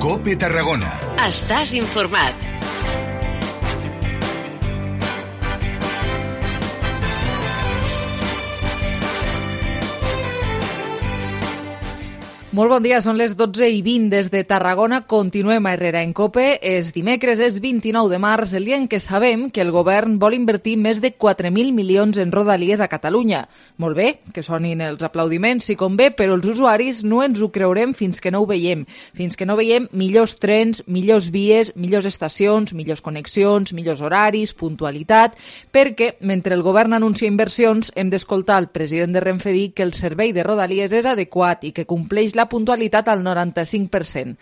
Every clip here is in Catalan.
COPE Tarragona. Estàs informat. Molt bon dia, són les 12:20 des de Tarragona. Continuem a Herrera en COPE. És dimecres, és 29 de març, el dia en què sabem que el govern vol invertir més de 4.000 milions en rodalies a Catalunya. Molt bé, que sonin els aplaudiments si convé, però els usuaris no ens ho creurem fins que no ho veiem. Fins que no veiem millors trens, millors vies, millors estacions, millors connexions, millors horaris, puntualitat, perquè mentre el govern anuncia inversions hem d'escoltar el president de Renfe dir que el servei de rodalies és adequat i que compleix la puntualitat al 95%.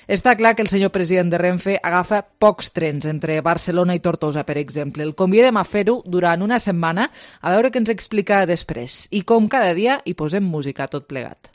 Està clar que el senyor president de Renfe agafa pocs trens entre Barcelona i Tortosa, per exemple. El convidem a fer-ho durant una setmana, a veure què ens explica després. I com cada dia hi posem música tot plegat.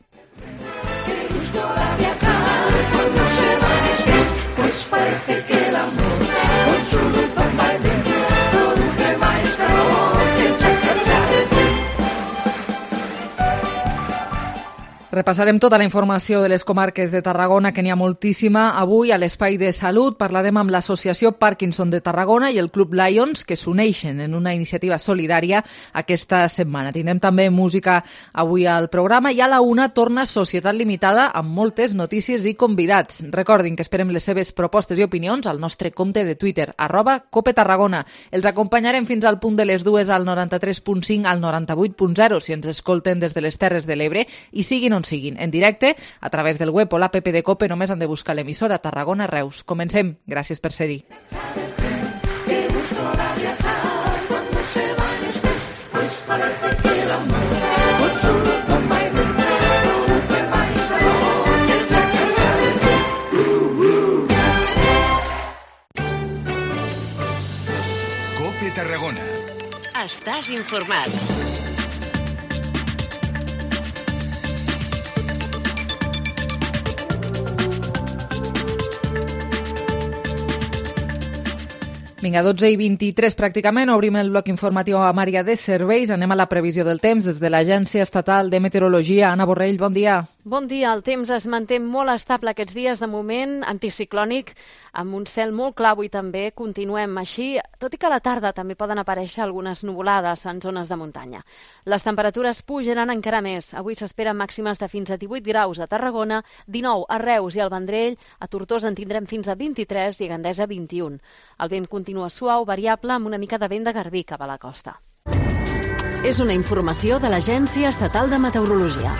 Repassarem tota la informació de les comarques de Tarragona, que n'hi ha moltíssima. Avui, a l'Espai de Salut, parlarem amb l'Associació Parkinson de Tarragona i el Club Lions, que s'uneixen en una iniciativa solidària aquesta setmana. Tindrem també música avui al programa i a la una torna Societat Limitada amb moltes notícies i convidats. Recordin que esperem les seves propostes i opinions al nostre compte de Twitter, @CopeTarragona. Els acompanyarem fins al punt de les 2 al 93.5 al 98.0 si ens escolten des de les Terres de l'Ebre i siguin siguin en directe a través del web o l'app de COPE. Només han de buscar l'emissora Tarragona Reus. Comencem. Gràcies per ser-hi. COPE Tarragona. Estàs informat. Vinga, 12:23 pràcticament, obrim el bloc informatiu a Maria de Serveis. Anem a la previsió del temps des de l'Agència Estatal de Meteorologia. Anna Borrell, bon dia. Bon dia. El temps es manté molt estable aquests dies, de moment anticiclònic, amb un cel molt clar avui també. Continuem així, tot i que a la tarda també poden aparèixer algunes nuvolades en zones de muntanya. Les temperatures pujaran encara més. Avui s'esperen màximes de fins a 18 graus a Tarragona, 19 a Reus i al Vendrell, a Tortosa en tindrem fins a 23 i a Gandesa 21. El vent continua suau, variable, amb una mica de vent de garbí cap a la costa. És una informació de l'Agència Estatal de Meteorologia.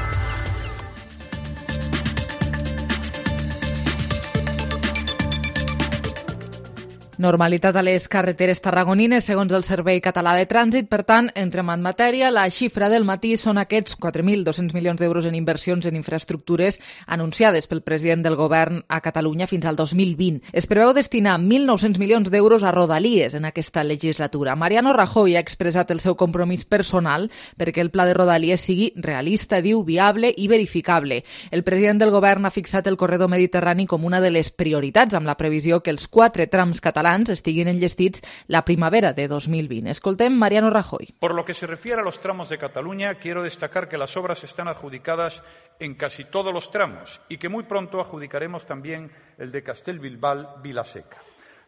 Normalitat a les carreteres tarragonines, segons el Servei Català de Trànsit. Per tant, entrem en matèria. La xifra del matí són aquests 4.200 milions d'euros en inversions en infraestructures anunciades pel president del govern a Catalunya fins al 2020. Es preveu destinar 1.900 milions d'euros a rodalies en aquesta legislatura. Mariano Rajoy ha expressat el seu compromís personal perquè el pla de rodalies sigui realista, diu, viable i verificable. El president del govern ha fixat el corredor mediterrani com una de les prioritats, amb la previsió que els 4 trams catalans estiguin enllestits la primavera de 2020. Escoltem Mariano Rajoy. Por lo que se refiere a los tramos de Cataluña, quiero destacar que las obras están adjudicadas en casi todos los tramos y que muy pronto adjudicaremos también el de Castellbilbao-Vilaseca.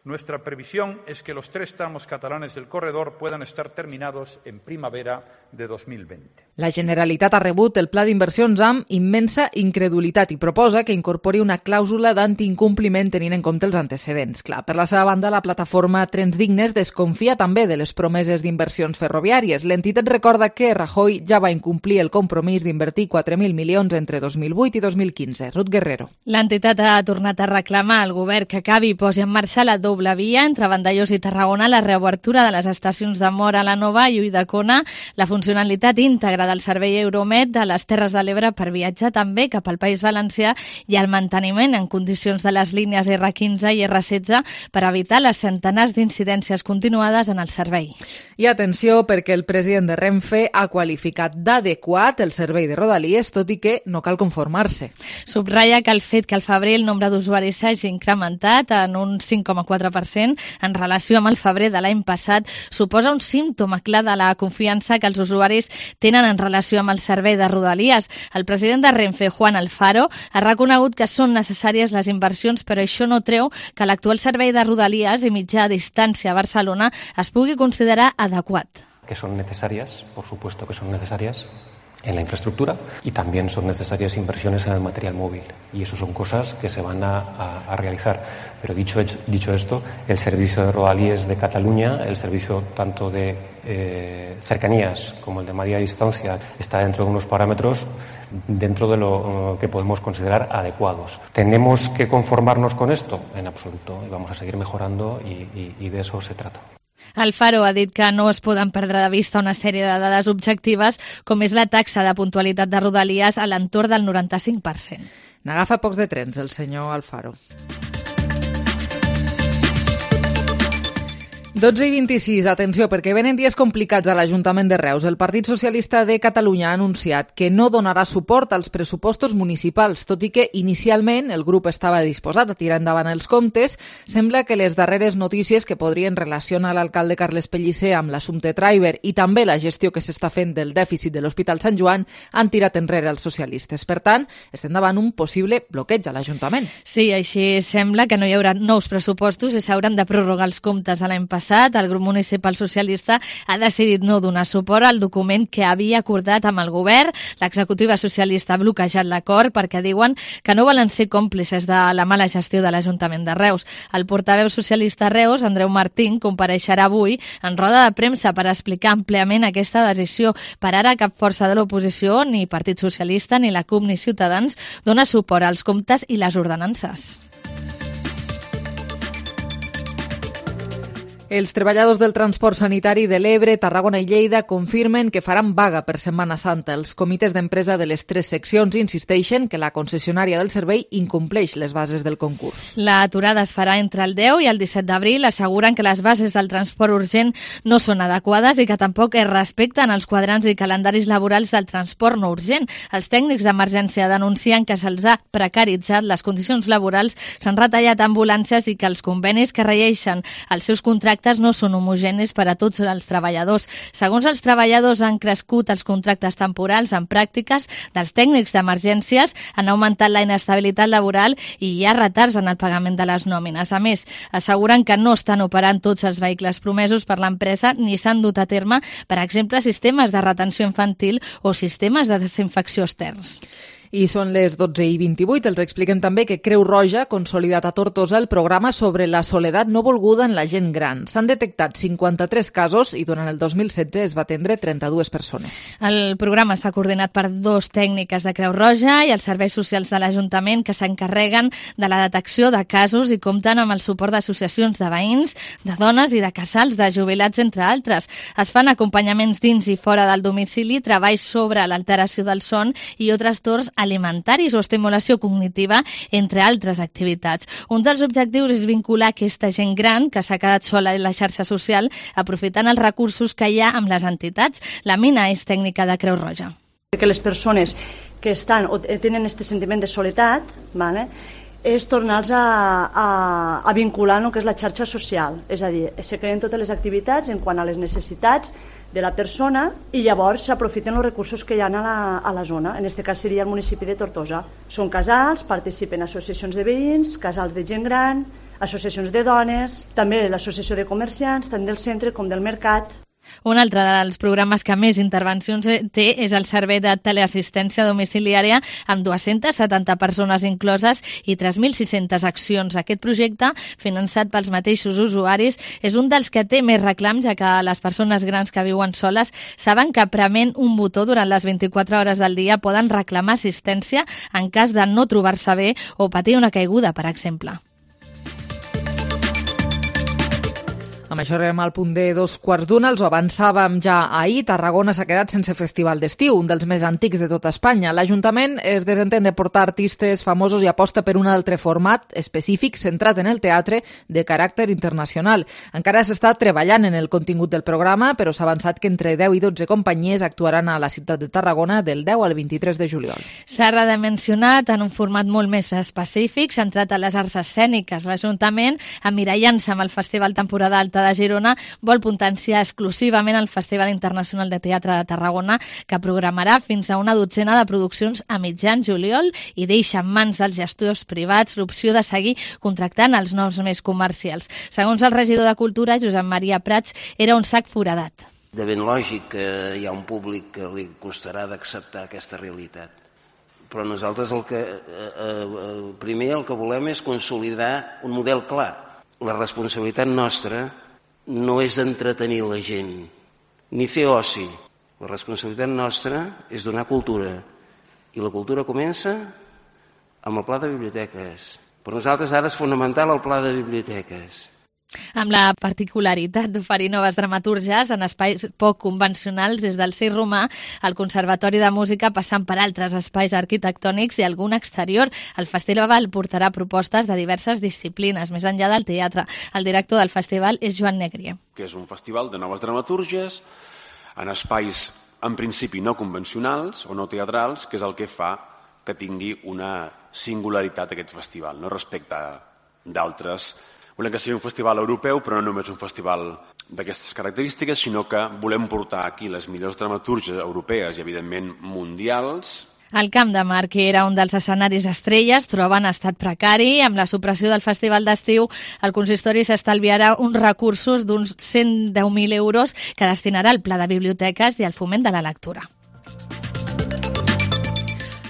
Nuestra previsión es que los 3 tramos catalanes del corredor puedan estar terminados en primavera de 2020. La Generalitat ha rebut el pla d'inversions amb immensa incredulitat i proposa que incorpori una clàusula d'antiincompliment tenint en compte els antecedents. Clar, per la seva banda, la plataforma Trens Dignes desconfia també de les promeses d'inversions ferroviàries. L'entitat recorda que Rajoy ja va incomplir el compromís d'invertir 4.000 milions entre 2008 i 2015. Ruth Guerrero. L'entitat ha tornat a reclamar al govern que acabi i posi en marxa la doble via entre Vandellòs i Tarragona, la reobertura de les estacions de Móra la Nova i Ulldecona, la funcionalitat íntegra del servei Euromed de les Terres de l'Ebre per viatjar també cap al País Valencià i el manteniment en condicions de les línies R15 i R16 per evitar les centenars d'incidències continuades en el servei. I atenció, perquè el president de Renfe ha qualificat d'adequat el servei de rodalies, tot i que no cal conformar-se. Subratlla que el fet que al febrer el nombre d'usuaris s'hagi incrementat en un 5,4 34% en relació amb el febrer de l'any passat, suposa un símptoma clar de la confiança que els usuaris tenen en relació amb el servei de Rodalies. El president de Renfe, Juan Alfaro, ha reconegut que són necessàries les inversions, però això no treu que l'actual servei de Rodalies i mitjà distància a Barcelona es pugui considerar adequat. Que son necesarias, por supuesto que son necesarias en la infraestructura y también son necesarias inversiones en el material móvil y eso son cosas que se van a realizar. Pero dicho esto, el servicio de Rodalies de Cataluña, el servicio tanto de cercanías como el de media distancia está dentro de unos parámetros dentro de lo que podemos considerar adecuados. ¿Tenemos que conformarnos con esto? En absoluto, y vamos a seguir mejorando y de eso se trata. Alfaro ha dit que no es poden perdre de vista una sèrie de dades objectives, com és la taxa de puntualitat de Rodalies a l'entorn del 95%. N'agafa pocs de trens, el senyor Alfaro. 12:26, atenció, perquè venen dies complicats a l'Ajuntament de Reus. El Partit Socialista de Catalunya ha anunciat que no donarà suport als pressupostos municipals, tot i que inicialment el grup estava disposat a tirar endavant els comptes. Sembla que les darreres notícies que podrien relacionar l'alcalde Carles Pellicer amb l'assumpte Traiber i també la gestió que s'està fent del dèficit de l'Hospital Sant Joan han tirat enrere els socialistes. Per tant, estem davant un possible bloqueig a l'Ajuntament. Sí, així sembla que no hi haurà nous pressupostos i s'hauran de prorrogar els comptes de l'any passat. El grup municipal socialista ha decidit no donar suport al document que havia acordat amb el govern. L'executiva socialista ha bloquejat l'acord perquè diuen que no volen ser còmplices de la mala gestió de l'Ajuntament de Reus. El portaveu socialista a Reus, Andreu Martín, compareixerà avui en roda de premsa per explicar àmpliament aquesta decisió. Per ara, cap força de l'oposició, ni Partit Socialista, ni la CUP, ni Ciutadans, dona suport als comptes i les ordenances. Els treballadors del transport sanitari de l'Ebre, Tarragona i Lleida confirmen que faran vaga per Setmana Santa. Els comitès d'empresa de les 3 seccions insisteixen que la concessionària del servei incompleix les bases del concurs. L'aturada es farà entre el 10 i el 17 d'abril. Asseguren que les bases del transport urgent no són adequades i que tampoc es respecten els quadrants i calendaris laborals del transport no urgent. Els tècnics d'emergència denuncien que se'ls ha precaritzat les condicions laborals, s'han retallat ambulàncies i que els convenis que regeixen els seus contractes no són homogenis per a tots els treballadors. Segons els treballadors, han crescut els contractes temporals en pràctiques dels tècnics d'emergències, han augmentat la inestabilitat laboral i hi ha retards en el pagament de les nòmines. A més, asseguren que no estan operant tots els vehicles promesos per l'empresa ni s'han dut a terme, per exemple, sistemes de retenció infantil o sistemes de desinfecció externs. I són les 12:28. Els expliquem també que Creu Roja ha consolidat a Tortosa el programa sobre la soledat no volguda en la gent gran. S'han detectat 53 casos i durant el 2016 es va atendre 32 persones. El programa està coordinat per 2 tècniques de Creu Roja i els serveis socials de l'Ajuntament que s'encarreguen de la detecció de casos i compten amb el suport d'associacions de veïns, de dones i de casals, de jubilats, entre altres. Es fan acompanyaments dins i fora del domicili, treballs sobre l'alteració del son i altres torns alimentaris o estimulació cognitiva, entre altres activitats. Un dels objectius és vincular aquesta gent gran que s'ha quedat sola en la xarxa social, aprofitant els recursos que hi ha amb les entitats. La Mina és tècnica de Creu Roja. Que les persones que estan o tenen aquest sentiment de soledat, ¿vale?, és tornar-los a vincular en el que és la xarxa social. És a dir, se creen totes les activitats en quant a les necessitats de la persona i llavors s'aprofiten els recursos que hi ha a la zona. En aquest cas seria el municipi de Tortosa. Són casals, participen associacions de veïns, casals de gent gran, associacions de dones, també l'associació de comerciants, tant del centre com del mercat. Un altre dels programes que més intervencions té és el servei de teleassistència domiciliària amb 270 persones incloses i 3.600 accions. Aquest projecte, finançat pels mateixos usuaris, és un dels que té més reclams, ja que les persones grans que viuen soles saben que prement un botó durant les 24 hores del dia poden reclamar assistència en cas de no trobar-se bé o patir una caiguda, per exemple. Amb això arribem al punt de 2:15, els ho avançàvem ja ahir. Tarragona s'ha quedat sense festival d'estiu, un dels més antics de tota Espanya. L'Ajuntament es desentén de portar artistes famosos i aposta per un altre format específic centrat en el teatre de caràcter internacional. Encara s'està treballant en el contingut del programa, però s'ha avançat que entre 10 i 12 companyies actuaran a la ciutat de Tarragona del 10 al 23 de juliol. S'ha redimensionat en un format molt més específic, centrat a les arts escèniques. L'Ajuntament, emmirallant-se amb el Festival Temporada Alta de Girona, vol potenciar exclusivament el Festival Internacional de Teatre de Tarragona, que programarà fins a una dotzena de produccions a mitjan juliol i deixa en mans dels gestors privats l'opció de seguir contractant els noms més comercials. Segons el regidor de Cultura, Josep Maria Prats, era un sac foradat. De ben lògic que hi ha un públic que li costarà d'acceptar aquesta realitat. Però nosaltres primer el que volem és consolidar un model clar. La responsabilitat nostra no és entretenir la gent, ni fer oci. La responsabilitat nostra és donar cultura. I la cultura comença amb el pla de biblioteques. Per nosaltres ara és fonamental el pla de biblioteques. Amb la particularitat d'oferir noves dramatúrgies en espais poc convencionals, des del Circ Romà, el Conservatori de Música, passant per altres espais arquitectònics i algun exterior. El festival portarà propostes de diverses disciplines, més enllà del teatre. El director del festival és Joan Negrier. Que és un festival de noves dramatúrgies en espais, en principi, no convencionals o no teatrals, que és el que fa que tingui una singularitat aquest festival, no respecte d'altres. Volem que sigui un festival europeu, però no només un festival d'aquestes característiques, sinó que volem portar aquí les millors dramatúrgies europees i, evidentment, mundials. El Camp de Mar, que era un dels escenaris estrelles, troba en estat precari. Amb la supressió del Festival d'Estiu, el consistori s'estalviarà uns recursos d'uns 110.000 euros que destinarà al Pla de Biblioteques i al foment de la lectura.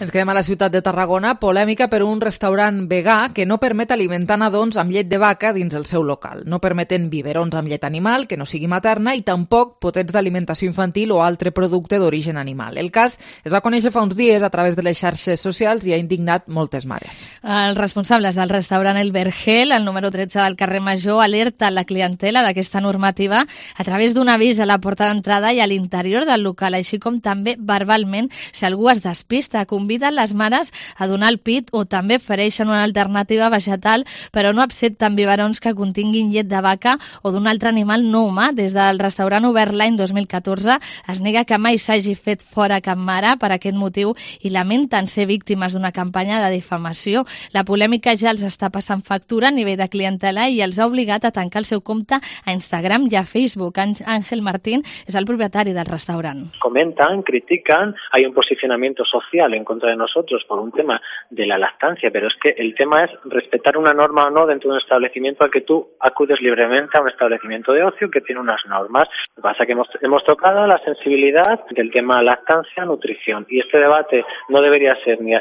Ens quedem a la ciutat de Tarragona. Polèmica per un restaurant vegà que no permet alimentar nadons amb llet de vaca dins el seu local. No permeten biberons amb llet animal, que no sigui materna, i tampoc potets d'alimentació infantil o altre producte d'origen animal. El cas es va conèixer fa uns dies a través de les xarxes socials i ha indignat moltes mares. Els responsables del restaurant El Vergel, al número 13 del carrer Major, alerta la clientela d'aquesta normativa a través d'un avís a la porta d'entrada i a l'interior del local, així com també verbalment, si algú es despista, conviden les mares a donar el pit o també ofereixen una alternativa vegetal, però no accepten biberons que continguin llet de vaca o d'un altre animal no humà. Des del restaurant obert l'any 2014 es nega que mai s'hagi fet fora cap mare per aquest motiu i lamenten ser víctimes d'una campanya de difamació. La polèmica ja els està passant factura a nivell de clientela i els ha obligat a tancar el seu compte a Instagram i a Facebook. Ángel Martín és el propietari del restaurant. Comentan, critican, hay un posicionamiento social en contra de nosotros por un tema de la lactancia, pero es que el tema es respetar una norma o no dentro de un establecimiento al que tú acudes libremente a un establecimiento de ocio que tiene unas normas. Lo que pasa es que hemos tocado la sensibilidad del tema lactancia, nutrición, y este debate no debería ser ni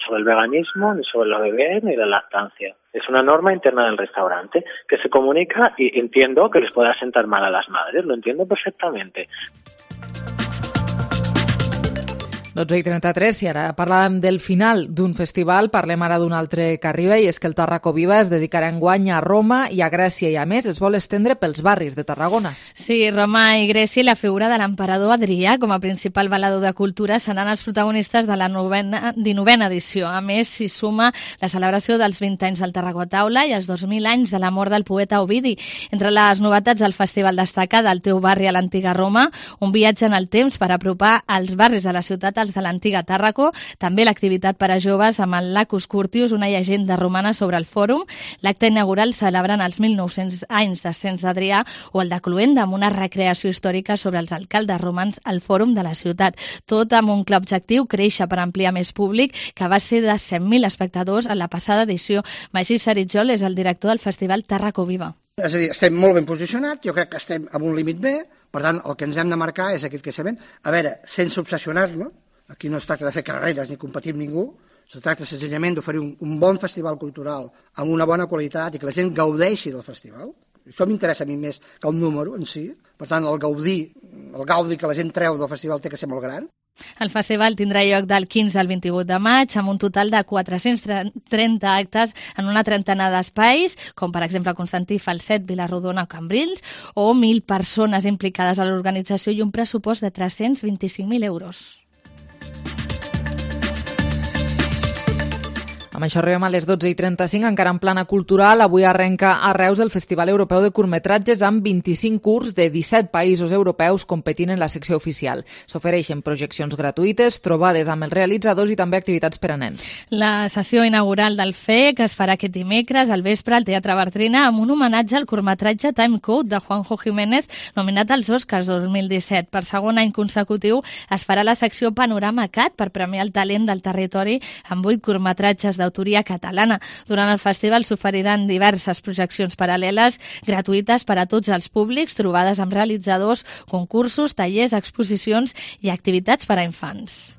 sobre el veganismo, ni sobre los bebés, ni la lactancia. Es una norma interna del restaurante que se comunica y entiendo que les pueda sentar mal a las madres, lo entiendo perfectamente. 12:33, i ara parlàvem del final d'un festival, parlem ara d'un altre que arriba, i és que el Tarraco Viva es dedicarà enguany a Roma i a Grècia, i a més es vol estendre pels barris de Tarragona. Sí, Roma i Grècia i la figura de l'emperador Adrià com a principal valedor de cultura seran els protagonistes de la 19a edició. A més, s'hi suma la celebració dels 20 anys del Tarragó Taula i els 2.000 anys de la mort del poeta Ovidi. Entre les novetats del festival destaca del teu barri a l'antiga Roma, un viatge en el temps per apropar els barris de la ciutat de l'antiga Tàrraco, també l'activitat per a joves amb el Lacus Curtius, una llegenda romana sobre el fòrum, l'acte inaugural celebrant els 1.900 anys d'ascens d'Adrià o el de Cluenda amb una recreació històrica sobre els alcaldes romans al fòrum de la ciutat. Tot amb un clar objectiu, créixer per ampliar més públic, que va ser de 100.000 espectadors en la passada edició. Magí Saritjol és el director del festival Tarraco Viva. És a dir, estem molt ben posicionats, jo crec que estem amb un límit bé, per tant, el que ens hem de marcar és aquest creixement. A veure, sense obsessionar-nos, aquí no es tracta de fer carreres ni competir amb ningú, es tracta senzillament d'oferir un bon festival cultural amb una bona qualitat i que la gent gaudeixi del festival. Això m'interessa a mi més que el número en si. Per tant, el gaudi que la gent treu del festival té que ser molt gran. El festival tindrà lloc del 15 al 28 de maig amb un total de 430 actes en una trentena d'espais, com per exemple Constantí, Falset, Vilarrodona o Cambrils, o 1.000 persones implicades a l'organització i un pressupost de 325.000 euros. Amb això arribem a les 12:35, encara en plana cultural. Avui arrenca a Reus el Festival Europeu de Curtmetratges amb 25 curts de 17 països europeus competint en la secció oficial. S'ofereixen projeccions gratuïtes, trobades amb els realitzadors i també activitats per a nens. La sessió inaugural del FEC es farà aquest dimecres al vespre al Teatre Bartrina amb un homenatge al curtmetratge Time Code de Juanjo Jiménez, nominat als Oscars 2017. Per segon any consecutiu es farà la secció Panorama Cat per premiar el talent del territori amb 8 curtmetratges d'autoria catalana. Durant el festival s'oferiran diverses projeccions paral·leles gratuïtes per a tots els públics, trobades amb realitzadors, concursos, tallers, exposicions i activitats per a infants.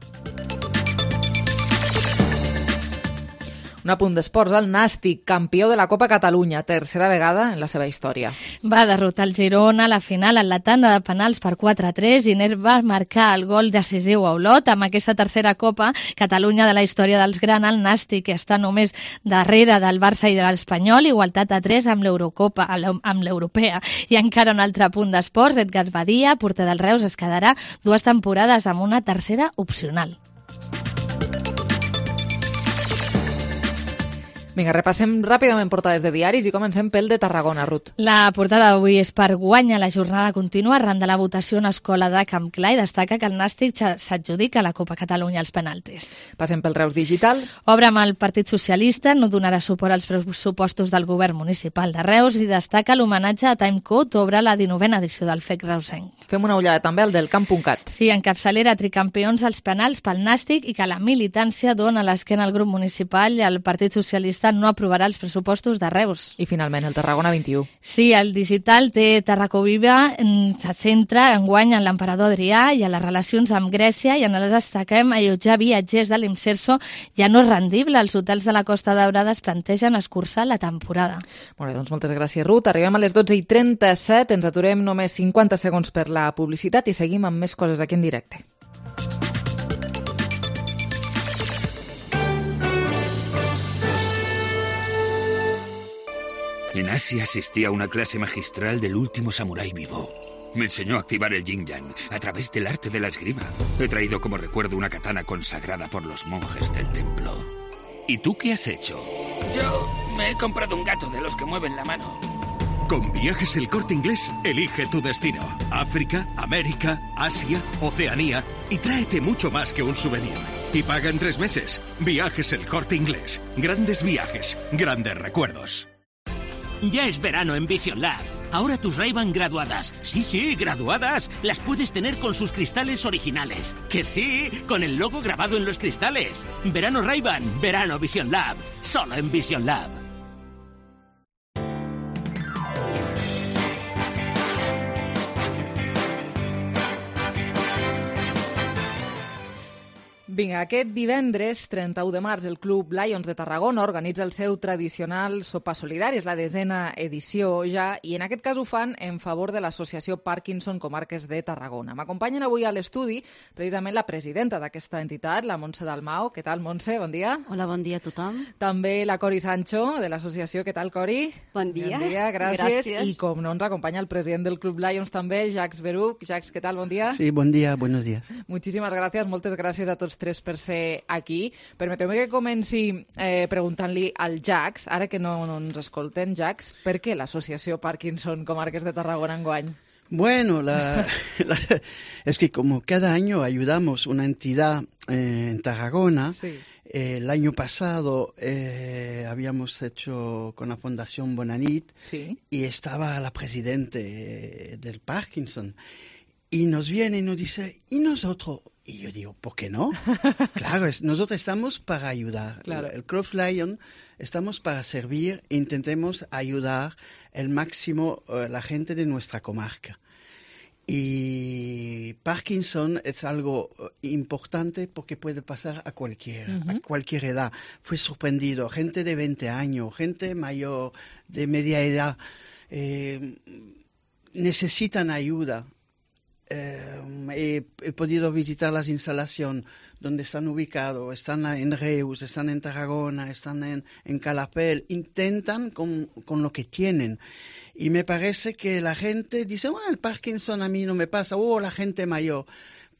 Un apunt d'esports, el Nàstic, campió de la Copa Catalunya, tercera vegada en la seva història. Va derrotar el Girona a la final en la tanda de penals per 4-3 i Ner va marcar el gol decisiu a Olot. Amb aquesta tercera Copa Catalunya de la història dels grans, el Nàstic està només darrere del Barça i de l'Espanyol, igualtat a 3 amb l'Eurocopa, amb l'Europea. I encara un altre punt d'esports, Edgar Badia, porter del Reus, es quedarà 2 temporades amb una tercera opcional. Vinga, repassem ràpidament portades de diaris i comencem pel de Tarragona, Ruth. La portada d'avui és per Guanya la jornada contínua arran de la votació en escola de Camp Clar i destaca que el Nàstic s'adjudica a la Copa Catalunya als penaltis. Passem pel Reus Digital. Obre amb el Partit Socialista, no donarà suport als pressupostos del govern municipal de Reus i destaca l'homenatge a Time Code, obre la 19a edició del FEC reusenc. Fem una ullada també al del Camp.cat. Sí, encapçalera tricampions als penals pel Nàstic i que la militància dona l'esquena al grup municipal i el Partit Socialista no aprovarà els pressupostos de Reus. I finalment el Tarragona 21. Sí, el digital té Tarracó Viva, se centra enguany en l'emperador Adrià i a les relacions amb Grècia i en les destaquem allotjar viatgers de l'Imserso ja no és rendible. Els hotels de la Costa Daurada es plantegen escurçar la temporada. Molt bé, doncs moltes gràcies, Ruth. Arribem a les 12:37, ens aturem només 50 segons per la publicitat i seguim amb més coses aquí en directe. En Asia asistí a una clase magistral del último samurái vivo. Me enseñó a activar el yin-yang a través del arte de la esgrima. He traído como recuerdo una katana consagrada por los monjes del templo. ¿Y tú qué has hecho? Yo me he comprado un gato de los que mueven la mano. Con Viajes El Corte Inglés, elige tu destino. África, América, Asia, Oceanía y tráete mucho más que un souvenir. Y paga en 3 meses. Viajes El Corte Inglés. Grandes viajes, grandes recuerdos. Ya es verano en Vision Lab. Ahora tus Ray-Ban graduadas. Sí, graduadas. Las puedes tener con sus cristales originales. Que sí, con el logo grabado en los cristales. Verano Ray-Ban, verano Vision Lab. Solo en Vision Lab. Vinga, aquest divendres, 31 de març, el Club Lions de Tarragona organitza el seu tradicional sopar solidari. És la 10a edició ja, i en aquest cas ho fan en favor de l'Associació Parkinson Comarques de Tarragona. M'acompanyen avui a l'estudi precisament la presidenta d'aquesta entitat, la Montse Dalmau. Què tal, Montse? Bon dia. Hola, bon dia a tothom. També la Cori Sancho, de l'associació. Què tal, Cori? Bon dia. Bon dia, gràcies. I com no, ens acompanya el president del Club Lions també, Jacques Beruc. Jacques, què tal? Bon dia. Sí, bon dia, buenos días. Muchísimas gracias, moltes gràcies a tots tres per ser aquí. Permeteu-me que comenci preguntant-li al Jacques, ara que no ens escolten, Jacques, per què l'associació Parkinson Comarques de Tarragona enguany? Bueno, es que como cada año ayudamos una entidad en Tarragona, sí. El año pasado habíamos hecho con la Fundación Bonanit, sí. Y estaba la presidente del Parkinson. Y nos viene y nos dice, ¿y nosotros? Y yo digo, ¿por qué no? Claro, nosotros estamos para ayudar. Claro. El Club Lion estamos para servir e intentemos ayudar el máximo la gente de nuestra comarca. Y Parkinson es algo importante porque puede pasar a cualquier edad. Fue sorprendido, gente de 20 años, gente mayor, de media edad, necesitan ayuda. he podido visitar las instalaciones donde están ubicados, están en Reus, están en Tarragona, están en Calafell, intentan con lo que tienen. Y me parece que la gente dice, bueno, el Parkinson a mí no me pasa, la gente mayor.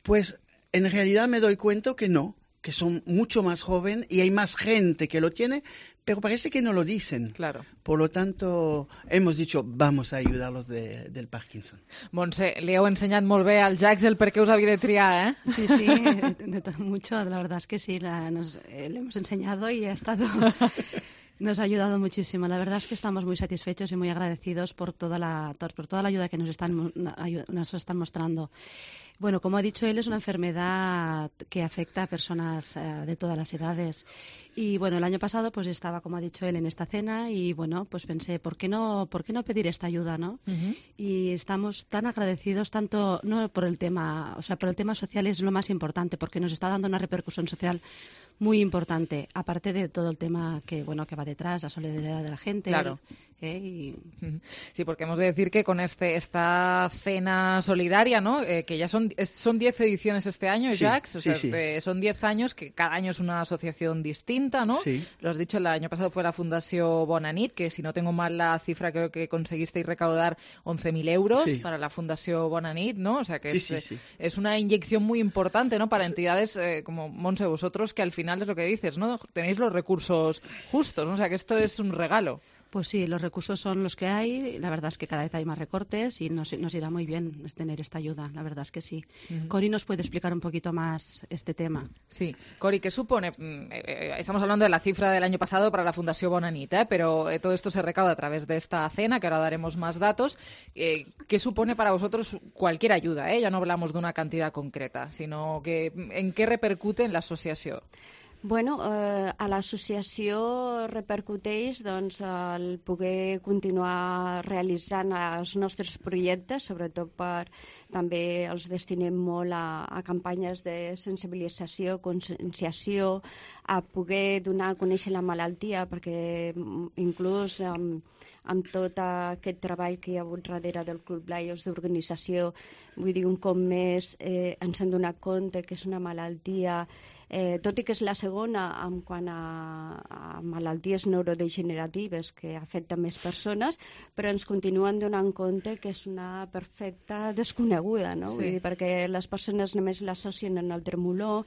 Pues en realidad me doy cuenta que no, que son mucho más jóvenes y hay más gente que lo tiene, pero parece que no lo dicen. Claro. Por lo tanto, hemos dicho, vamos a ayudarlos del Parkinson. Montse, li heu ensenyat molt bé al Jacques el per què us havia de triar, ¿eh? Sí, mucho, la verdad es que sí, le hemos enseñado y ha estado... Nos ha ayudado muchísimo. La verdad es que estamos muy satisfechos y muy agradecidos por toda la ayuda que nos están mostrando. Bueno, como ha dicho él, es una enfermedad que afecta a personas de todas las edades. Y bueno, el año pasado pues estaba, como ha dicho él, en esta cena y bueno, pues pensé, ¿por qué no pedir esta ayuda, no? Y estamos tan agradecidos, tanto no por el tema, o sea, por el tema social es lo más importante, porque nos está dando una repercusión social muy importante, aparte de todo el tema que va detrás, la solidaridad de la gente. Claro. Sí, porque hemos de decir que con esta cena solidaria, ¿no? Que ya son 10 ediciones este año, sí, Jacques. Son 10 años, que cada año es una asociación distinta, ¿no? Sí. Lo has dicho, el año pasado fue la Fundación Bona Nit, que si no tengo mal la cifra, creo que conseguisteis recaudar 11.000 euros para la Fundación Bona Nit, ¿no? O sea que es una inyección muy importante, ¿no? Para entidades como Montse, vosotros, que al final es lo que dices, ¿no? Tenéis los recursos justos, ¿no? O sea que esto es un regalo. Pues sí, los recursos son los que hay. La verdad es que cada vez hay más recortes y nos irá muy bien tener esta ayuda. La verdad es que sí. Cori nos puede explicar un poquito más este tema. Sí. Cori, ¿qué supone? Estamos hablando de la cifra del año pasado para la Fundación Bona Nit, pero todo esto se recauda a través de esta cena, que ahora daremos más datos. ¿Qué supone para vosotros cualquier ayuda? Ya no hablamos de una cantidad concreta, sino que ¿en qué repercute en la asociación? Bueno, a l'associació repercuteix doncs, el poder continuar realitzant els nostres projectes, sobretot també els destinem molt a campanyes de sensibilització, conscienciació, a poder donar a conèixer la malaltia, perquè inclús amb tot aquest treball que hi ha hagut darrere del Club Lions d'organització, vull dir, un cop més ens hem donat compte que és una malaltia, tot i que és la segona en quant a malalties neurodegeneratives que afecten més persones, però ens continuen donant compte que és una perfecta desconeguda, no? Vull dir, perquè les persones només l'associen en el tremolor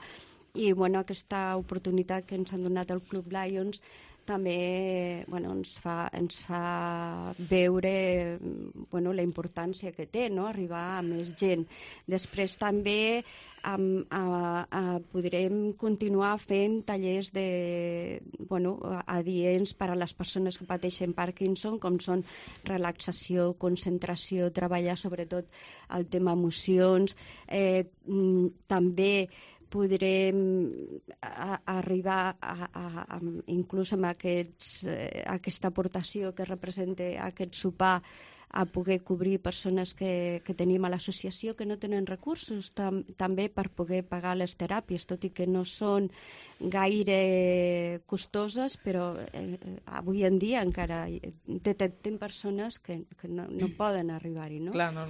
i aquesta oportunitat que ens han donat el Club Lions també ens fa veure la importància que té, no? Arribar a més gent. Després també podrem continuar fent tallers adients per a les persones que pateixen Parkinson, com són relaxació, concentració, treballar sobretot el tema emocions, també podrem arribar inclús amb aquesta aportació que representa aquest sopar a poder cobrir persones que tenim a l'associació que no tenen recursos, també per poder pagar les teràpies, tot i que no són gaire costoses, però avui en dia encara detectem persones que no poden arribar-hi, no? Clar, no.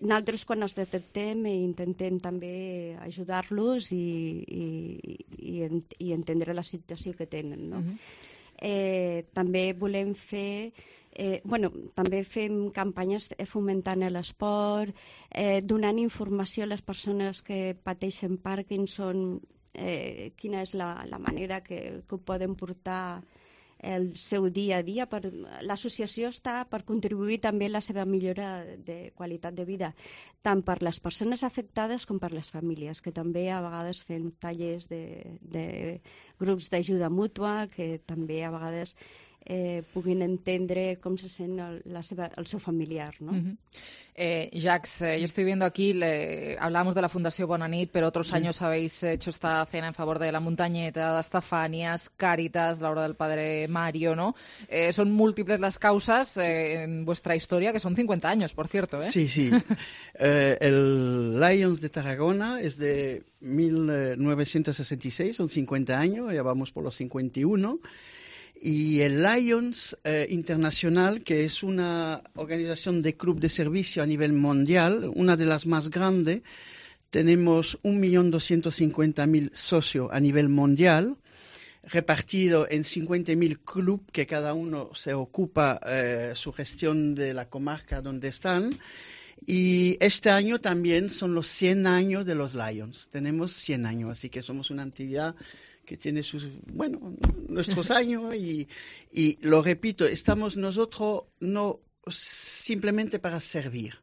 Nosaltres quan els detectem intentem també ajudar-los i entendre la situació que tenen, no? També volem fer també fem campanyes fomentant l'esport, donant informació a les persones que pateixen Parkinson, quina és la manera que ho poden portar el seu dia a dia. L'associació està per contribuir també a la seva millora de qualitat de vida, tant per les persones afectades com per les famílies, que també a vegades fem tallers de grups d'ajuda mútua, que també a vegades puguin entendre com se sent el seu familiar, ¿no? Jacques, yo estoy viendo aquí, hablábamos de la Fundación Bona Nit, pero otros años habéis hecho esta cena en favor de la Montañeta, de Estefanias, Cáritas, la Hora del Padre Mario, ¿no? Son múltiples las causas en vuestra historia, que son 50 años, por cierto, ¿eh? Sí. El Lions de Tarragona es de 1966, son 50 años, ya vamos por los 51. Y el Lions Internacional, que es una organización de club de servicio a nivel mundial, una de las más grandes, tenemos 1.250.000 socios a nivel mundial, repartido en 50.000 clubes que cada uno se ocupa su gestión de la comarca donde están. Y este año también son los 100 años de los Lions. Tenemos 100 años, así que somos una entidad que tiene nuestros años y lo repito, estamos nosotros no simplemente para servir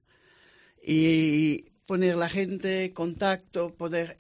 y poner la gente contacto, poder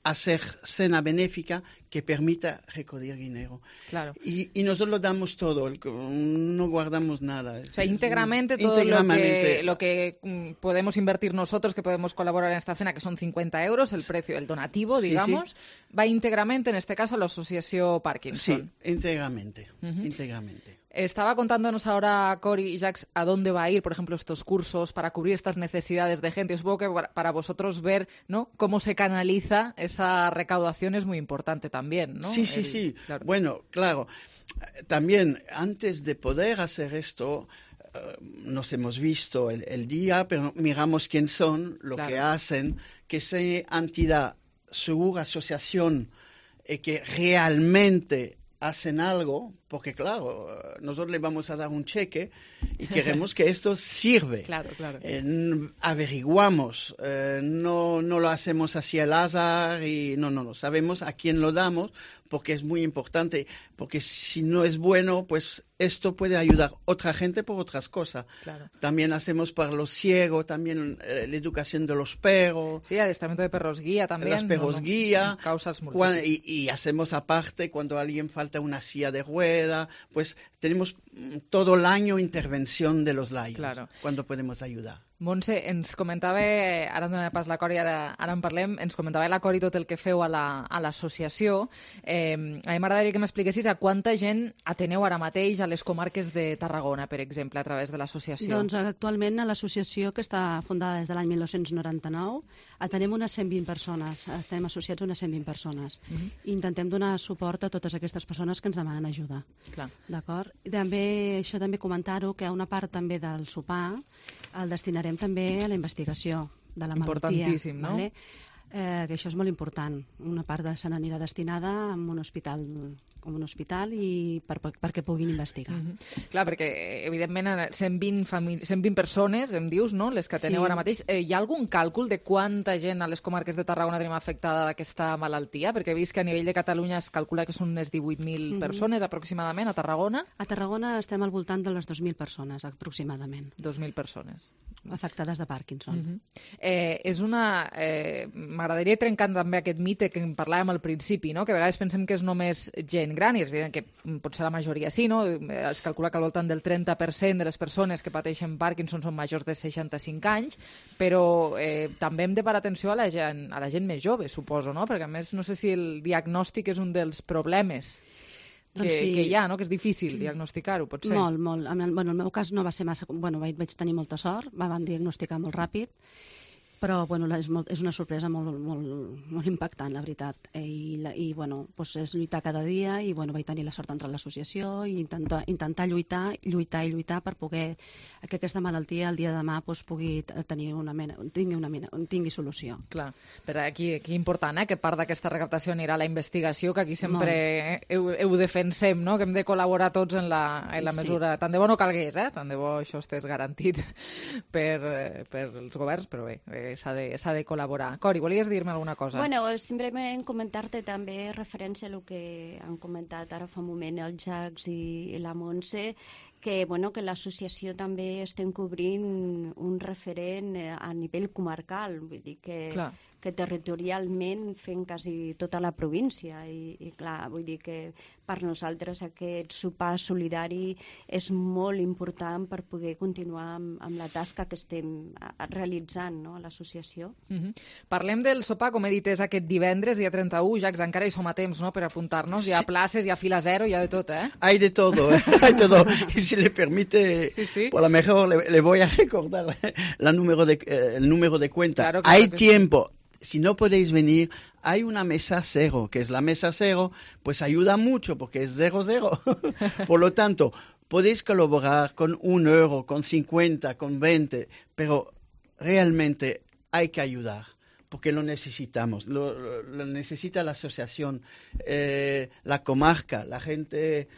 hacer cena benéfica que permita recoger dinero. Claro. Y nosotros damos todo, no guardamos nada. O sea, íntegramente todo lo que podemos invertir nosotros, que podemos colaborar en esta cena, que son 50 euros, el precio, el donativo, digamos, va íntegramente, en este caso, a la Asociación Parkinson. Sí, íntegramente, íntegramente. Estaba contándonos ahora Cori y Jacques a dónde va a ir, por ejemplo, estos cursos para cubrir estas necesidades de gente. Supongo que para vosotros ver, ¿no?, cómo se canaliza esa recaudación es muy importante también, ¿no? Sí. Claro. Bueno, claro. También, antes de poder hacer esto, nos hemos visto el día, pero miramos quién son, lo que hacen, que sea entidad, segura, asociación, que realmente hacen algo, porque claro, nosotros le vamos a dar un cheque y queremos que esto sirve. Claro. Averiguamos, no lo hacemos así al azar y no, sabemos a quién lo damos, porque es muy importante, porque si no es bueno, pues esto puede ayudar a otra gente por otras cosas. Claro. También hacemos para los ciegos, también la educación de los perros. Sí, adiestramiento de perros guía también. Los perros guía. Causas múltiples. Y hacemos aparte cuando a alguien falta una silla de rueda, pues tenemos todo el año intervención de los Lions, cuando podemos ayudar. Montse, ens comentava, ara em dona pas la Cori, ara en parlem, ens comentava la Cori tot el que feu a l'associació. A mi m'agradaria que m'expliquessis a quanta gent ateneu ara mateix a les comarques de Tarragona, per exemple, a través de l'associació. Doncs actualment a l'associació, que està fundada des de l'any 1999, atenem unes 120 persones, estem associats a unes 120 persones. I intentem donar suport a totes aquestes persones que ens demanen ajuda. D'acord? Això també comentar-ho, que una part també del sopar el destinarem també a la investigació de la malaltia. Importantíssim, no? Vale? Que això és molt important. Una part se n'anirà destinada a un hospital i perquè puguin investigar. Clar, perquè evidentment 120 persones, em dius, no?, les que teniu ara mateix. Hi ha algun càlcul de quanta gent a les comarques de Tarragona tenim afectada d'aquesta malaltia? Perquè he vist que a nivell de Catalunya es calcula que són unes 18.000 persones aproximadament a Tarragona. A Tarragona estem al voltant de les 2.000 persones aproximadament. 2.000 persones. Afectades de Parkinson. M'agradaria trencar també aquest mite que en parlàvem al principi, no?, que a vegades pensem que és només gent gran, i és evident que potser la majoria sí, no? Es calcula que al voltant del 30% de les persones que pateixen Parkinson són majors de 65 anys, però també hem de parar atenció a la gent més jove, suposo, no? Perquè a més no sé si el diagnòstic és un dels problemes que hi ha, no?, que és difícil diagnosticar-ho, potser. Molt. En el meu cas no va ser massa... Vaig tenir molta sort, van diagnosticar molt ràpid, però és una sorpresa molt impactant, la veritat. I és lluitar cada dia, i vaig tenir la sort d'entrar a l'associació i intentar lluitar per poder que aquesta malaltia el dia de demà tingui solució. Clar, però aquí important, que part d'aquesta recaptació anirà a la investigació, que aquí sempre ho defensem, no?, que hem de col·laborar tots en la mesura... Tant de bo no calgués, tant de bo això estés garantit per els governs, però bé, s'ha de col·laborar. Cori, volies dir-me alguna cosa? Bueno, simplement comentar-te també referència a el que han comentat ara fa un moment el Jacques i la Montse, que l'associació també estem cobrint un referent a nivell comarcal, vull dir que territorialment fem quasi tota la província i clar, vull dir que per nosaltres aquest sopar solidari és molt important per poder continuar amb la tasca que estem realitzant, no?, a l'associació. Parlem del sopar, com he dit, és aquest divendres, dia 31, Jacques, encara hi som a temps, no?, per apuntar-nos, hi ha places, hi ha fila zero, hi ha de tot, Hay de todo, hay todo. Y si le permite, por lo mejor le voy a recordar el número de cuenta. Claro, hay tiempo. Si no podéis venir, hay una mesa cero, que es la mesa cero, pues ayuda mucho porque es 0,0. Por lo tanto, podéis colaborar con 1 euro, con 50, con 20, pero realmente hay que ayudar. Porque lo necesitamos, lo necesita la asociación, la comarca, la gente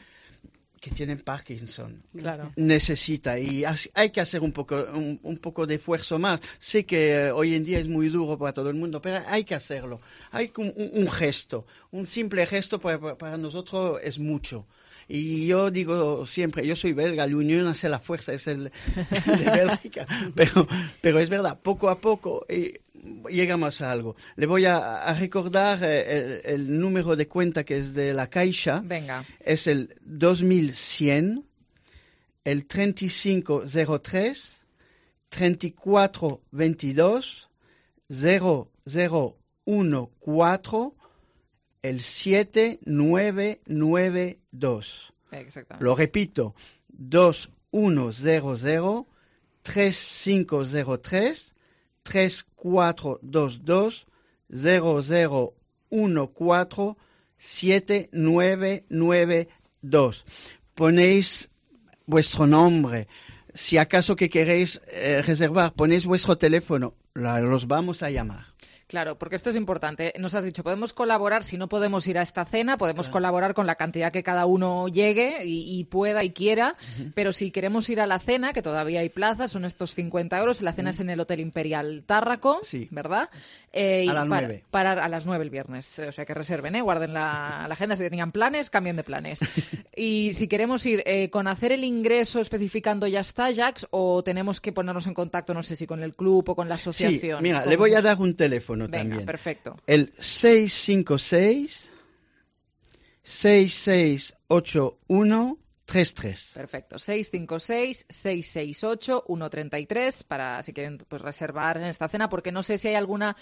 que tiene Parkinson. Claro. Necesita, y hay que hacer un poco de esfuerzo más. Sé que hoy en día es muy duro para todo el mundo, pero hay que hacerlo. Hay un gesto, un simple gesto para nosotros es mucho. Y yo digo siempre, yo soy belga, la unión hace la fuerza, es el de Bélgica, pero es verdad, poco a poco llegamos a algo. Le voy a recordar el número de cuenta que es de la Caixa. Venga. Es el 2100, el 3503, 3422, 0014, el 7992. Exactamente. Lo repito, 2100 3503 3422 0014 7992. Ponéis vuestro nombre. Si acaso que queréis reservar, ponéis vuestro teléfono. Los vamos a llamar. Claro, porque esto es importante. Nos has dicho, podemos colaborar, si no podemos ir a esta cena, podemos colaborar con la cantidad que cada uno llegue y pueda y quiera, pero si queremos ir a la cena, que todavía hay plazas, son estos 50 euros, la cena es en el Hotel Imperial Tárraco, ¿verdad? A las 9. A las 9 el viernes, o sea que reserven, guarden la agenda, si tenían planes, cambien de planes. Y si queremos ir con hacer el ingreso especificando ya está, Jacques, o tenemos que ponernos en contacto, no sé si con el club o con la asociación. Sí, mira, le voy a dar un teléfono. Venga, también. Perfecto. El 656-6681-33. Perfecto. 656-668-133 para si quieren pues reservar en esta cena, porque no sé si hay alguna,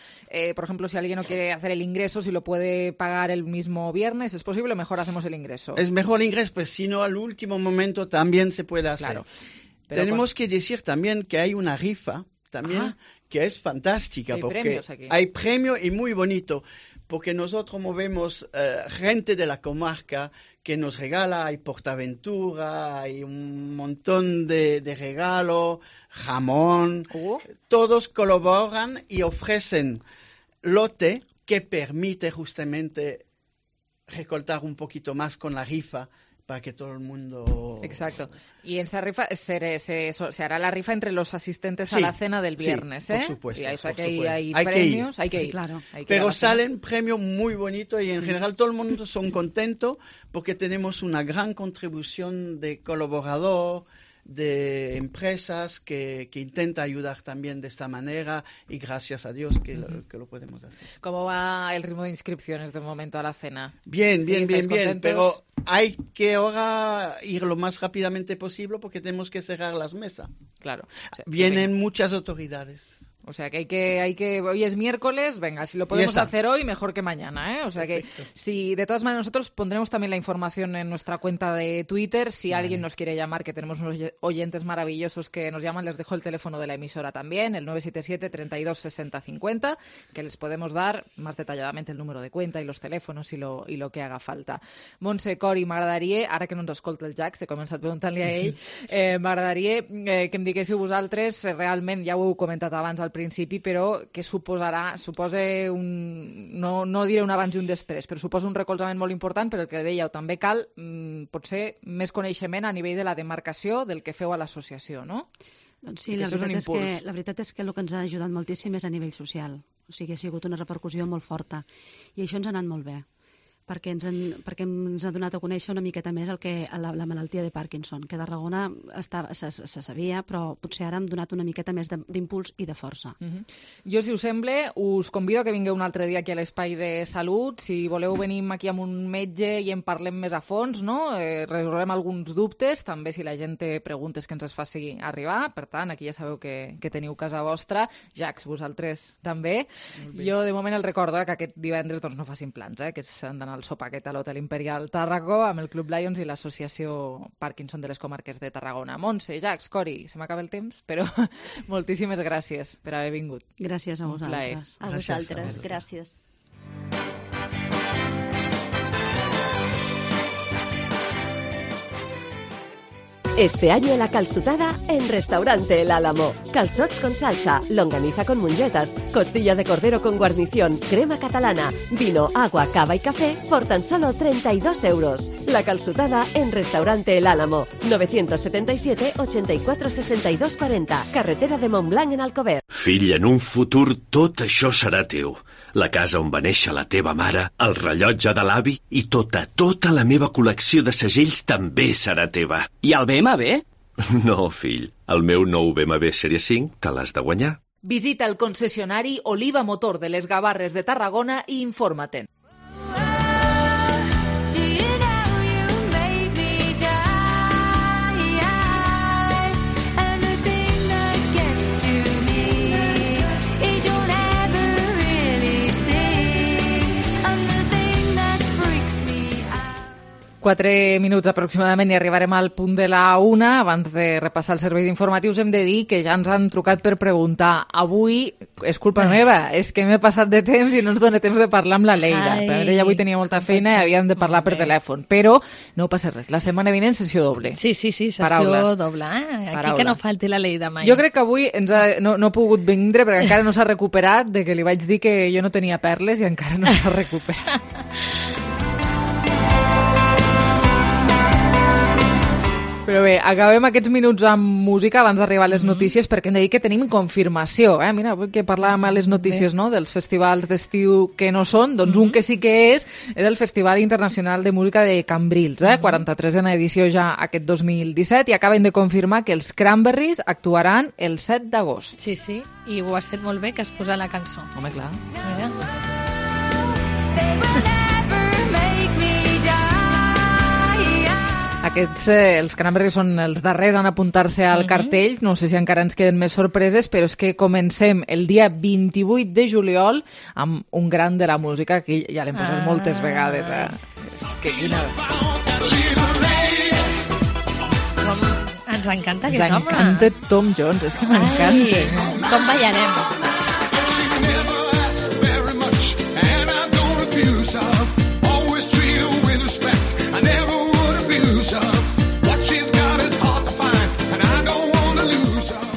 por ejemplo, si alguien no quiere hacer el ingreso, si lo puede pagar el mismo viernes, ¿es posible? Mejor hacemos el ingreso. Es mejor el ingreso, pues si no, al último momento también se puede hacer. Claro. Tenemos que decir también que hay una rifa también que es fantástica. Hay porque premios aquí. Hay premios y muy bonito, porque nosotros movemos gente de la comarca que nos regala, hay Portaventura, hay un montón de regalos, jamón, todos colaboran y ofrecen lote que permite justamente recortar un poquito más con la rifa, para que todo el mundo... Exacto. Y en esta rifa se hará la rifa entre los asistentes a la cena del viernes, por supuesto. Y eso por hay supuesto. premios, hay que ir. Claro. Pero salen premios muy bonitos y en general todo el mundo son contentos porque tenemos una gran contribución de colaborador, de empresas que intenta ayudar también de esta manera y gracias a Dios que lo podemos hacer. ¿Cómo va el ritmo de inscripciones de momento a la cena? Bien, ¿Sí, bien, contentos? pero hay que ahora ir lo más rápidamente posible porque tenemos que cerrar las mesas. Claro. O sea, vienen muchas autoridades. O sea, que hay que hoy es miércoles, venga, si lo podemos hacer hoy, mejor que mañana, ¿eh? O sea que si de todas maneras nosotros pondremos también la información en nuestra cuenta de Twitter, si alguien nos quiere llamar, que tenemos unos oyentes maravillosos que nos llaman, les dejo el teléfono de la emisora también, el 977 32 60 50, que les podemos dar más detalladamente el número de cuenta i los telèfons i lo que haga falta. Montse, Cori, m'agradaria, ara que no ens escolta el Jacques, he començat preguntant-li a ell, m'agradaria que em diguéssiu vosaltres, realment, ja ho heu comentat abans al principi, però què suposa no diré un abans i un després, però suposa un recolzament molt important, però el que dèieu, també cal potser més coneixement a nivell de la demarcació del que feu a l'associació, no? Doncs sí, la veritat és que el que ens ha ajudat moltíssim és a nivell social. O sigui, ha sigut una repercussió molt forta. I això ens ha anat molt bé, perquè ens ha donat a conèixer una miqueta més la malaltia de Parkinson, que a Tarragona se sabia, però potser ara hem donat una miqueta més d'impuls i de força. Jo, si us sembla, us convido a que vingueu un altre dia aquí a l'Espai de Salut. Si voleu, venim aquí amb un metge i en parlem més a fons, no? Resolem alguns dubtes, també si la gent té preguntes que ens les faci arribar. Per tant, aquí ja sabeu que teniu casa vostra. Jacques, vosaltres també. Jo, de moment, el recordo que aquest divendres no facin plans, que s'han d'anar al sopar aquest a l'Hotel Imperial Tàrraco amb el Club Lions i l'associació Parkinson de les Comarques de Tarragona. Montse, Jacques, Cori, se m'acaba el temps, però moltíssimes gràcies per haver vingut. Gràcies a vosaltres. A vosaltres, gràcies. Este año la calçotada en Restaurante El Álamo. Calzots con salsa, longaniza con mongetas, costilla de cordero con guarnición, crema catalana, vino, agua, cava y café por tan solo 32 euros. La calçotada en Restaurante El Álamo. 977 84 62 40. Carretera de Montblanc en Alcover. Fill, en un futur tot això serà teu. La casa on va néixer la teva mare, el rellotge de l'avi i tota la meva col·lecció de segells també serà teva. I el BMW? No, fill. El meu nou BMW Sèrie 5 te l'has de guanyar. Visita el concessionari Oliva Motor de les Gavarres de Tarragona i informa-te'n. Quatre minuts aproximadament i arribarem al punt de la 1. Abans de repassar els serveis informatius hem de dir que ja ens han trucat per preguntar. Avui és culpa meva, és que m'he passat de temps i no ens dona temps de parlar amb la Leida. A més, ella avui tenia molta feina i havíem de parlar per telèfon. Però no passa res, la setmana vinent sessió doble. Sí, sessió doble. Aquí que no falti la Leida mai. Jo crec que avui no ha pogut vindre perquè encara no s'ha recuperat de que li vaig dir que jo no tenia perles i encara no s'ha recuperat. Però bé, acabem aquests minuts amb música abans d'arribar a les notícies perquè hem de dir que tenim confirmació. Mira, que parlàvem a les notícies dels festivals d'estiu que no són, doncs un que sí que és el Festival Internacional de Música de Cambrils, 43a edició ja aquest 2017 i acaben de confirmar que els Cranberries actuaran el 7 d'agost. Sí, i ho has fet molt bé que has posat la cançó. Home, clar. Mira. Aquests, els Cranberries són els darrers en apuntar-se al cartell, no sé si encara ens queden més sorpreses, però és que comencem el dia 28 de juliol amb un gran de la música, que ja l'hem posat moltes vegades. És que quina... Ens encanta aquest home. Ens encanta Tom Jones, és que m'encanta. Com ballarem?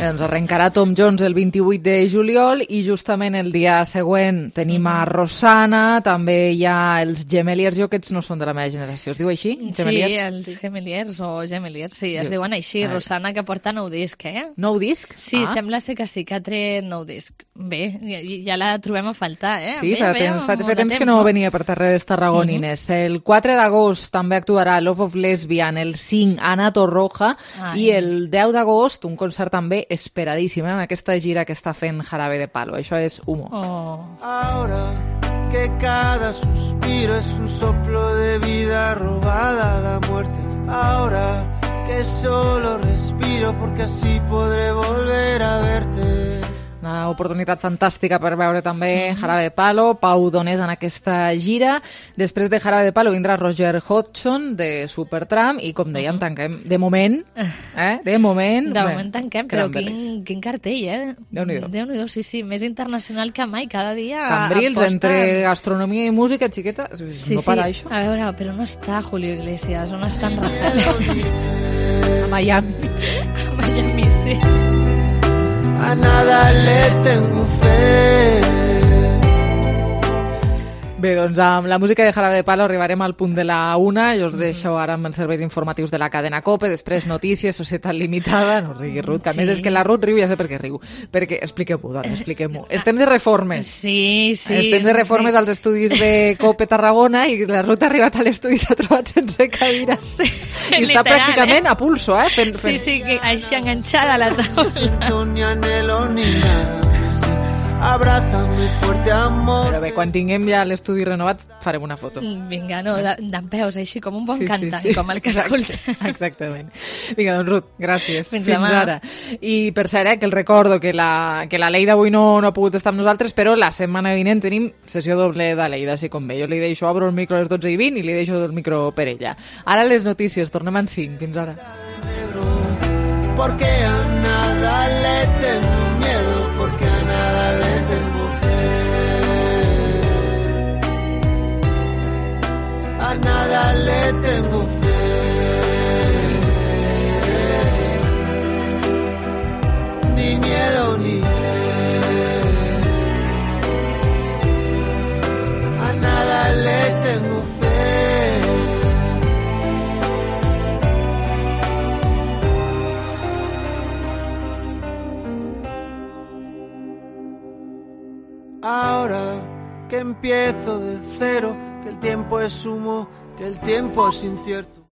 Ens arrencarà Tom Jones el 28 de juliol i justament el dia següent tenim a Rosanna, també hi ha els Gemeliers, jo aquests no són de la meva generació, es diu així? Gemeliers? Sí, els Gemeliers o Gemeliers, sí, es diuen així. Rosanna, que porta nou disc, Nou disc? Sí, sembla ser que sí, que ha tret nou disc. Bé, ja la trobem a faltar, Sí, fa temps que no venia per terres tarragonines. El 4 d'agost també actuarà Love of Lesbian, el 5 Ana Torroja i el 10 d'agost un concert també esperadíssim en aquesta gira que està fent Jarabe de Palo. Això és Humo. Ahora que cada suspiro es un soplo de vida robada a la muerte. Ahora que solo respiro porque así podré volver a verte. Una oportunitat fantàstica per veure també Jarabe de Palo, Pau Donés en aquesta gira. Després de Jarabe de Palo vindrà Roger Hodgson de Supertramp i, com dèiem, tanquem de moment. De moment tanquem, però quin cartell, Déu-n'hi-do, sí, més internacional que mai, cada dia Cambrils, entre gastronomia i música, xiqueta, no para això. A veure, però no està Julio Iglesias, on està en Rafael? A Miami. A Miami, sí. A nada le tengo fe. Bé, doncs amb la música de Jarabe de Palo arribarem al punt de la 1. Jo us deixo ara amb els serveis informatius de la cadena COPE, després notícies, Societat Limitada, no rigui, Ruth, que a més és que la Ruth riu, ja sé per què riu. Perquè, expliquem-ho, dona, expliquem-ho. Estem de reformes. Sí. Estem de reformes als estudis de COPE Tarragona i la Ruth ha arribat a l'estudi i s'ha trobat sense cadira. Sí, I està pràcticament a pulso, fent... Sí, així enganxada a la taula. Abrázame fuerte, amor. Però bé, quan tinguem ja l'estudi renovat farem una foto. Vinga, no, d'en peus, així com un bon cantant, com el que escolta. Exactament. Vinga, doncs Ruth, gràcies. Fins ara. I per cert, que el recordo que la Leida avui no ha pogut estar amb nosaltres, però la setmana vinent tenim sessió doble de Leida, si com bé. Jo li deixo, obro el micro a les 12:20 i li deixo el micro per ella. Ara les notícies, tornem en 5. Fins ara. Porque a nada le tengo miedo, porque a nada le tengo fe. A nada le tengo fe. Ahora que empiezo de cero, que el tiempo es humo, que el tiempo es incierto.